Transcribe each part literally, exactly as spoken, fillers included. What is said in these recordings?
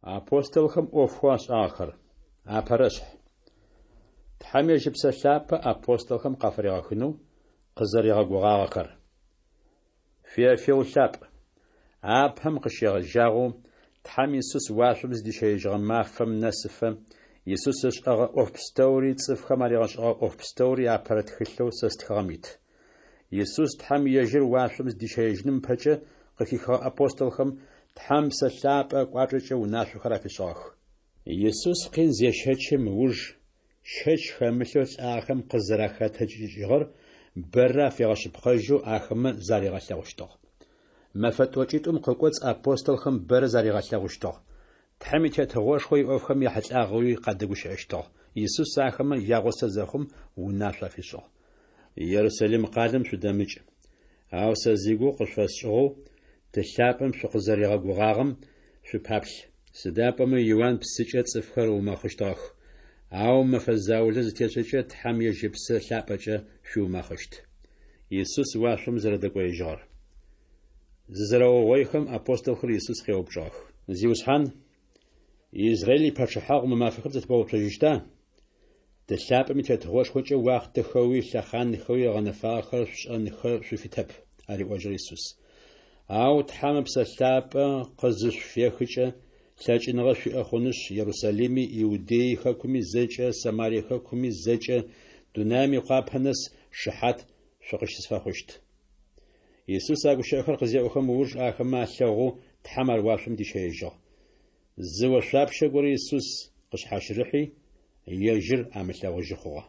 Апостолхэм ӏофхэу ашӏагъэхэр. Апэрэшъхь. Тхьэм ежь Ыпсэ Лъапӏэ апостолхэм къафыригъэхынэу къызэригъэгугъагъэхэр. Феофил лъапӏ! Апэм къыщегъэжьагъэу, Тхьэм Исус уашъом зыдищэежьыгъэ мафэм нэсыфэ, Исус ышӏэгъэ ӏоф пстэури, цӏыфхэм аригъэшӏэгъэ ӏоф пстэури апэрэ тхылъэу сэ стхыгъэм ит. Исус Тхьэм ежьыр уашъом зыдищэежьыным ыпэкӏэ къыхихыгъэ апостолхэм Тхьэм Псэ Лъапӏэ ыкӏуачӏэкӏэ унашъохэр афишӏыгъэх. Исус къин зещэчым ыуж, щэч хэмылъэу лӏагъэхэм къызэрахэтэджыкӏыжьыгъэр бэрэ афигъэшъыпкъэжьэу ахэмэ заригъэлъэгъущтыгъ. Мэфэ тӏокӏитӏум къыкӏоцӏ апостолхэм бэрэ заригъэлъэгъущтыгъ. Тхьэм и Тетыгъошхо иӏофхэм яхьылӏагъэуи къадэгущыӏэщтыгъ. Исус ахэмэ ягъусэ зэхъум, унашъо афишӏыгъ. Ерусалим къалэм шъудэмыкӏ, ау сэ зигугъу къышъуфэсшӏыгъэу, Ты лъапӏэм шъукъызэригъэгугъагъэм шъупаплъ. Сыда пӏомэ Иуан псыкӏэ цӏыфхэр ыумэхъыщтыгъэх, ау мэфэ заулэ зытешӏэкӏэ, Тхьэм ежь Ыпсэ Лъапӏэкӏэ шъуиумэхъыщт. Исус уашъом зэрэдэкӏоежьыгъэр. Зызэрэугъоихэм, апостолхэр Исус къеупчӏыгъэх. Зиусхьан, Израиль ипачъыхьагъу мы мафэхэм зэтебгъэуцожьыщта? Ты лъапӏэм и Тетыгъошхокӏэ уахътэхэуи лъэхъанхэуи ыгъэнэфагъэхэр шъушӏэнхэ шъуфитэп, ариӏожьыгъ Исус. Ау Тхьэм Ыпсэ Лъапӏэ къызышъуфехыкӏэ, лъэкӏыныгъэ шъуиӏэ хъунышъ, Ерусалими, Иудей хэкуми зэкӏэ, Самарие хэкуми зэкӏэ, дунаим икъуапэ нэс шыхьат шъукъыщысфэхъущт. Исус а гущыӏэхэр къызеӏохэм ыуж ахэмэ алъэгъоу Тхьэм ар уашъом дищэежьыгъ. Зы ошъуапщэ горэ Исус къышъхьащырыхьи, ежьыр амылъэгъужьы хъугъэ.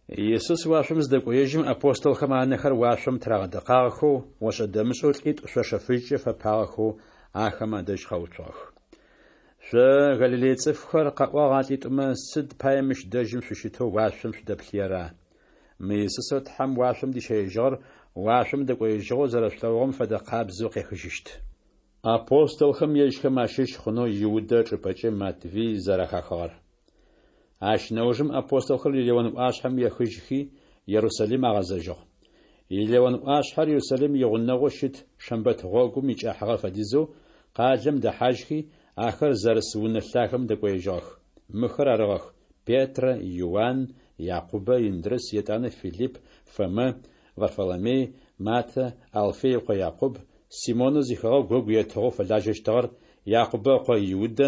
Исус уашъом зыдэкӏоежьым, апостолхэм анэхэр уашъом тырагъэдэкъагъэхэу, ошӏэ-дэмышӏэу лӏитӏу шъошэ фыжькӏэ фэпагъэхэу ахэмэ адэжь къэуцугъэх. Шъо, Галилей цӏыфхэр, къаӏуагъ а лӏитӏумэ, сыд пае мыщ дэжьым шъущытэу уашъом шъудэплъыера? Мы Исусэу Тхьэм уашъом дищэежьыгъэр уашъом дэкӏоежьыгъэу зэрэшъулъэгъугъэм фэдэ къабзэу къехыжьыщт. Апостолхэм ежьхэм ащыщ хъунэу Иудэ ычӏыпӏэкӏэ Матвий зэрэхахыгъэр. Ащ нэужым апостолхэр Елеон ӏуашъхьэм ехыжьхи, Ерусалим агъэзэжьыгъ. Елеон ӏуашъхьэр Ерусалим игъунэгъоу щыт шэмбэт гъогум икӏыхьагъэ фэдизэу къалэм дэхьажьхи, ахэр зэрыс унэ лъагэм дэкӏоежьыгъэх. Мыхэр арыгъэх: Петрэ, Иуан, Якъубэ, Индрыс, етӏанэ Филипп, Фомэ, Варфоломей, Матэ, Алфей ыкъо Якъуб, Симонэу зихэгъэгу ыгу етыгъэу фэлажьэщтыгъэр, Якъубэ ыкъо Иудэ,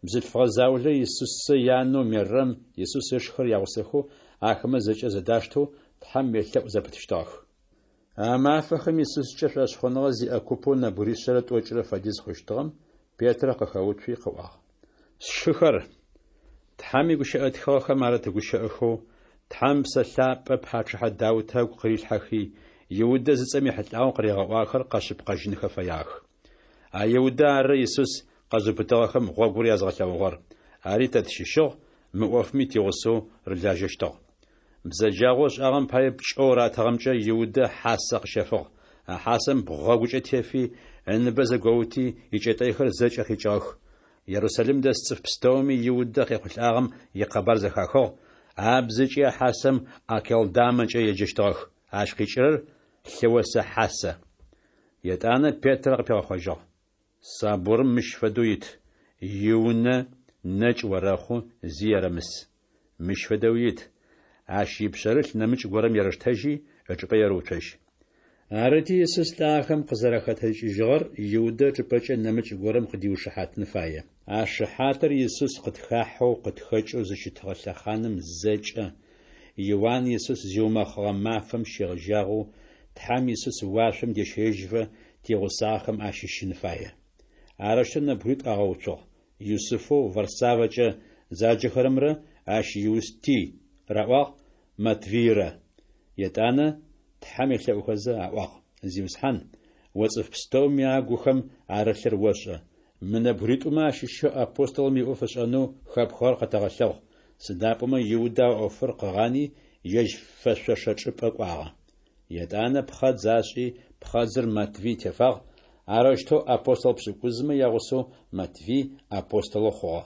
бзылъфыгъэ заулэ Исусэ янэу Мерэм, Исус ышхэр ягъусэхэу, ахэмэ зэкӏэ зэдаштэу Тхьэм елъэӏу зэпытыщтыгъэх. А мафэхэм Исускӏэ шӏошъхъуныгъэ зиӏэ купэу нэбгыришъэрэ тӏокӏырэ фэдиз хъущтыгъэм Петрэ къыхэуцуи къыӏуагъ. Сшыхэр, Тхьэм игущыӏэ тхыгъэхэм арыт гущыӏэхэу, Тхьэм Ыпсэ Лъапӏэ пачъыхьэ Даутэ ыгу къырилъхьэхи, Иудэ зыцӏэм ехьылӏагъэу къыригъэӏуагъэхэр къэшъыпкъэжьынхэ фэягъэх. А Иудэ ары Исус къэзыубытыгъэхэм гъогур язгъэлъэгъугъэр, ари тэ тщыщыгъ, мы ӏофми тигъусэу рылажьэщтыгъ. Бзэджагъэу ышӏагъэм пае пкӏэу ратыгъэмкӏэ Иудэ хьасэ къыщэфыгъ. А хьасэм бгъэгукӏэ тефи, ыныбэ зэгоути, икӏэтӏэйхэр зэкӏэ къикӏыгъэх. Ерусалим дэс цӏыф пстэуми Иудэ къехъулӏагъэм икъэбар зэхахыгъ, абзэкӏи а хьасэм Акелдамэкӏэ еджэщтыгъэх, ащ къикӏырэр Лъыосэ Хьасэ. Етӏанэ Петрэ къыпигъэхъожьыгъ. Сабурым мыщ фэдэу ит: Иунэ нэкӏ орэхъу, зи ерэмыс. Мыщ фэдэуи ит: Ащ ипшъэрылъ нэмыкӏ горэм ерэштэжьи, ычӏыпӏэ ерэуцожь. Арыти, Исус лӏагъэхэм къызэрахэтэджыкӏыжьыгъэр Иудэ ычӏыпӏэкӏэ нэмыкӏ горэм къыдиушыхьатын фае. А шыхьатыр Исус къытхахьэу, къытхэкӏэу зыщытыгъэ лъэхъаным зэкӏэ, Иуан Исус зиумэхъыгъэ мафэм щегъэжьагъэу Тхьэм Исус уашъом дещэежьыфэ тигъусагъэхэм ащыщын фае. Арэущтэу нэбгыритӏу агъэуцугъ: Юсыфэу Варсавэкӏэ заджэхэрэмрэ ащ Иусти раӏуагъ, Матвыйрэ. Етӏанэ Тхьэм елъэӏухэзэ аӏуагъ: Зиусхьан, о цӏыф пстэуми агухэм арылъыр ошӏэ. Мы нэбгыритӏумэ ащыщэу апостолым иӏоф ышӏэнэу хэпхыгъэр къэтэгъэлъэгъу, сыда пӏомэ Иудэ а ӏофыр къыгъани, ежь фэшъошэ чӏыпӏэ кӏуагъэ. Етӏанэ пхъэдз ашӏи, пхъэдзыр Матвый тефагъ, арэущтэу апостол пшӏыкӏузмэ ягъусэу Матвый апостолэу хъугъэ.